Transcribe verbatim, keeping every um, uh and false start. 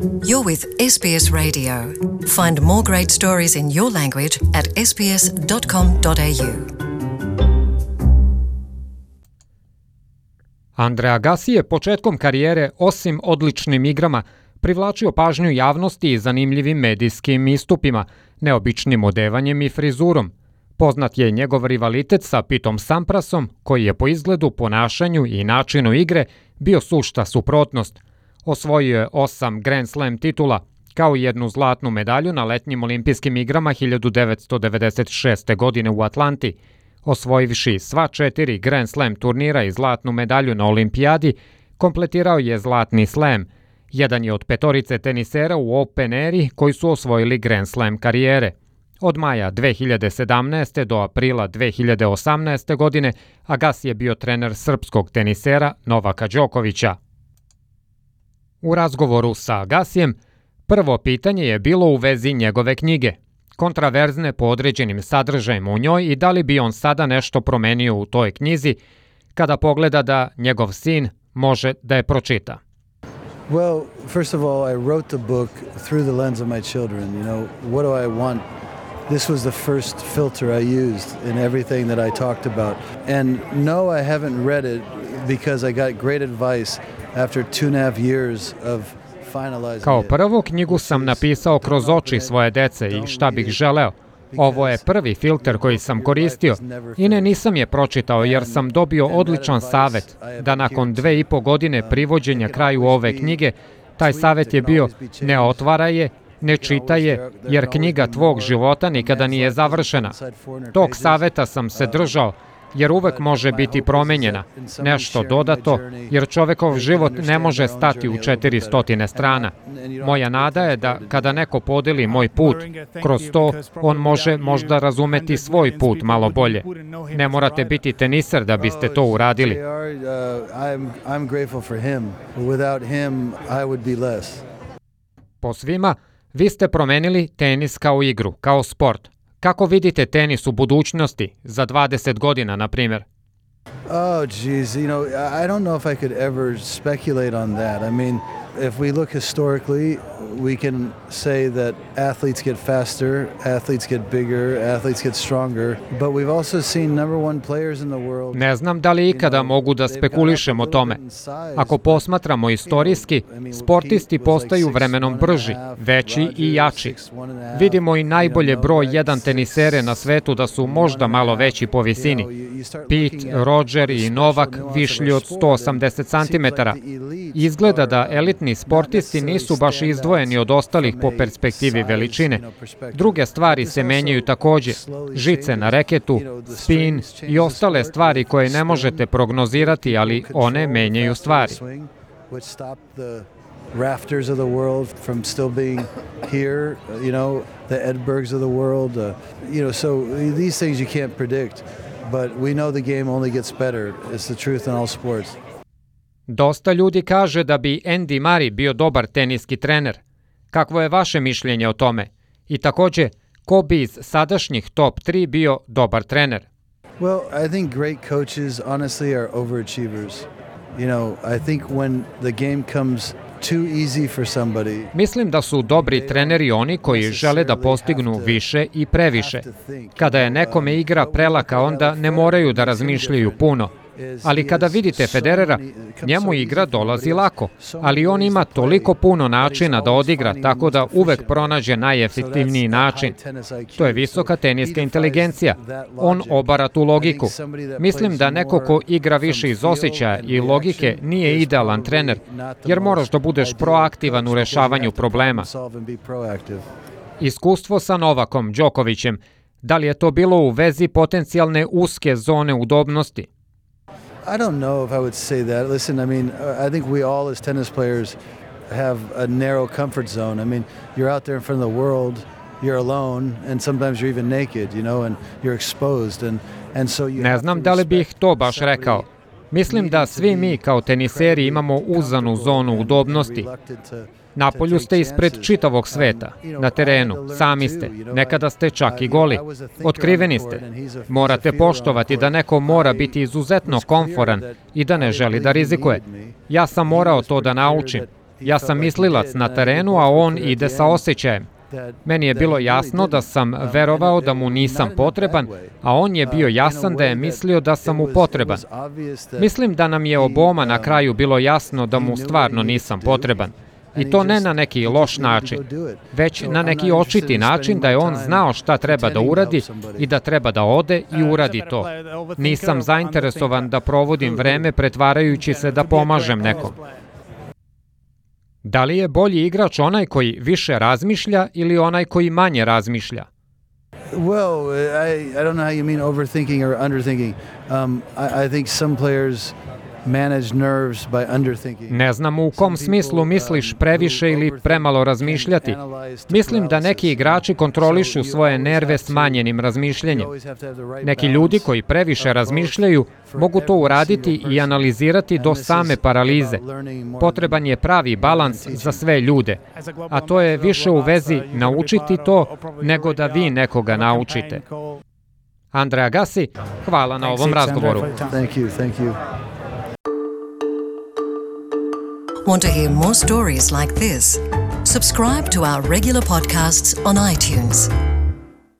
You're with S B S Radio. Find more great stories in your language at s b s dot com dot a u. Andrea Agassi je početkom karijere, osim odličnim igrama, privlačio pažnju javnosti i zanimljivim medijskim istupima, neobičnim odevanjem i frizurom. Poznat je njegov rivalitet sa Pitom Samprasom, koji je po izgledu, ponašanju i načinu igre bio sušta suprotnost. Osvojio je osam Grand Slam titula, kao i jednu zlatnu medalju na letnjim olimpijskim igrama hiljadu devetsto devedeset šeste. godine u Atlanti. Osvojivši sva četiri Grand Slam turnira i zlatnu medalju na olimpijadi, kompletirao je zlatni slam. Jedan je od petorice tenisera u Open eri koji su osvojili Grand Slam karijere. Od maja dve hiljade sedamnaeste. do aprila dve hiljade osamnaeste. godine Agassi je bio trener srpskog tenisera Novaka Đokovića. U razgovoru sa Agassijem, prvo pitanje je bilo u vezi njegove knjige, kontraverzne po određenim sadržajima u njoj i da li bi on sada nešto promenio u toj knjizi kada pogleda da njegov sin može da je pročita. Well, first of all, I wrote the book through the lens of my children. You know, what do I want? This was the first filter I used in everything that I talked about. And no, I haven't read it because I got great advice after two and a half years of finalizing. Kao prvo, knjigu sam napisao kroz oči svoje dece i šta bih želeo. Ovo je prvi filter koji sam koristio i ne, nisam je pročitao jer sam dobio odličan savet da nakon dve i po godine privođenja kraju ove knjige, taj savet je bio ne otvaraj je, ne čitaj je, jer knjiga tvog života nikada nije završena. Tog saveta sam se držao, jer uvek može biti promenjena, nešto dodato, jer čovekov život ne može stati u četiri stotine strana. Moja nada je da kada neko podeli moj put, kroz to on može možda razumeti svoj put malo bolje. Ne morate biti teniser da biste to uradili. Po svima, vi ste promenili tenis kao igru, kao sport. Kako vidite tenis u budućnosti, za dvadeset godina, na primjer? Oh, geez, you know, I don't know if I could ever speculate on that. I mean, if we look historically, we can say that athletes get faster, athletes get bigger, athletes get stronger, but we've also seen number one players in the world. Ne znam da li ikada mogu da spekulišem o tome. Ako posmatramo istorijski, sportisti postaju vremenom brži, veći i jači. Vidimo i najbolje broj jedan tenisere na svetu da su možda malo veći po visini. Pete, Roger i Novak višlji od sto osamdeset centimetara. Izgleda da elitni sportisti nisu baš izdvojeni od ostalih po perspektivi veličine. Druge stvari se menjaju takođe. Žice na reketu, spin i ostale stvari koje ne možete prognozirati, ali one menjaju stvari. Rafters of the world from still being here, you know, the Edbergs of the world, uh, you know, so these things you can't predict, but we know the game only gets better. It's the truth in all sports. Dosta ljudi kaže da bi Andy Murray bio dobar teniski trener. Kakvo je vaše mišljenje o tome? I takođe, ko bi iz sadašnjih top tri bio dobar trener? Well, I think great coaches honestly are overachievers. You know, I think when the game comes too easy for somebody. Mislim da su dobri treneri oni koji žele da postignu više i previše. Kada je nekome igra prelaka, onda ne moraju da razmišljaju puno. Ali kada vidite Federera, njemu igra dolazi lako, ali on ima toliko puno načina da odigra, tako da uvek pronađe najefektivniji način. To je visoka teniska inteligencija. On obara tu logiku. Mislim da neko ko igra više iz osjećaja i logike nije idealan trener, jer moraš da budeš proaktivan u rešavanju problema. Iskustvo sa Novakom Đokovićem, da li je to bilo u vezi potencijalne uske zone udobnosti? I don't know if I would say that. Listen, I mean, I think we all as tennis players have a narrow comfort zone. I mean, you're out there in front of the world, you're alone, and sometimes you're even naked, you know, and you're exposed. And, and so you ne znam da li bih to baš rekao. Mislim da svi mi kao teniseri imamo uzanu zonu udobnosti. Napolju ste ispred čitavog sveta, na terenu, sami ste, nekada ste čak i goli. Otkriveni ste. Morate poštovati da neko mora biti izuzetno komforan i da ne želi da rizikuje. Ja sam morao to da naučim. Ja sam mislilac na terenu, a on ide sa osjećajem. Meni je bilo jasno da sam verovao da mu nisam potreban, a on je bio jasan da je mislio da sam mu potreban. Mislim da nam je oboma na kraju bilo jasno da mu stvarno nisam potreban. I to ne na neki loš način, već na neki očiti način da je on znao šta treba da uradi i da treba da ode i uradi to. Nisam zainteresovan da provodim vreme pretvarajući se da pomažem nekom. Da li je bolji igrač onaj koji više razmišlja ili onaj koji manje razmišlja? Well, I, I don't know how you mean overthinking or underthinking. Um, I, I think some players manage nerves by underthinking. Ne znam u kom smislu misliš previše ili premalo razmišljati. Mislim da neki igrači kontrolišu svoje nerve smanjenim razmišljanjem. Neki ljudi koji previše razmišljaju mogu to uraditi i analizirati do same paralize. Potreban je pravi balans za sve ljude, a to je više u vezi naučiti to nego da vi nekoga naučite. Andre Agassi, hvala na ovom razgovoru. Thank you, thank you. Want to hear more stories like this? Subscribe to our regular podcasts on iTunes.